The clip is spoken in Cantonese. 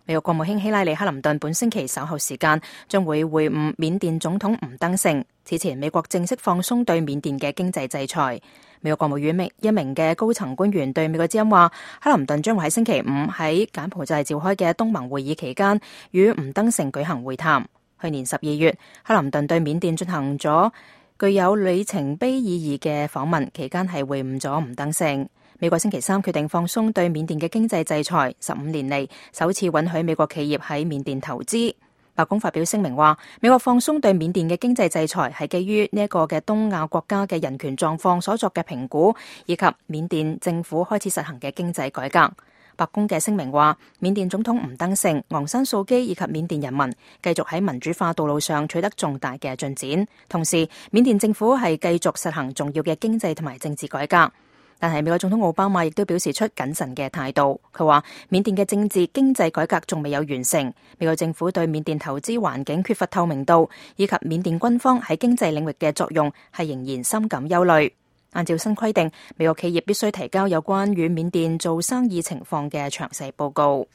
美國國務卿希拉里克林頓本星期稍後時間將會會晤緬甸總統吳登盛。此前，美國正式放鬆對緬甸嘅經濟制裁。美國國務院一名嘅高層官員對美國之音話，克林頓將會喺星期五喺柬埔寨召開嘅東盟會議期間與吳登盛舉行會談。去年12月，克林頓對緬甸進行咗具有里程碑意義嘅訪問，期間係會晤咗吳登盛。美國星期三決定放鬆對緬甸嘅經濟制裁，15年嚟首次允許美國企業喺緬甸投資。白宮發表聲明話，美國放鬆對緬甸嘅經濟制裁係基於呢一個嘅東亞國家嘅人權狀況所作嘅評估，以及緬甸政府開始實行嘅經濟改革。白宮嘅聲明話，緬甸總統吳登盛、昂山素基以及緬甸人民繼續喺民主化道路上取得重大嘅進展，同時緬甸政府係繼續實行重要嘅經濟同埋政治改革。但係美國總統奧巴馬亦都表示出謹慎嘅態度。佢話緬甸嘅政治經濟改革仲未有完成，美國政府對緬甸投資環境缺乏透明度，以及緬甸軍方喺經濟領域嘅作用係仍然深感憂慮。按照新規定，美國企業必須提交有關於緬甸做生意情況嘅詳細報告。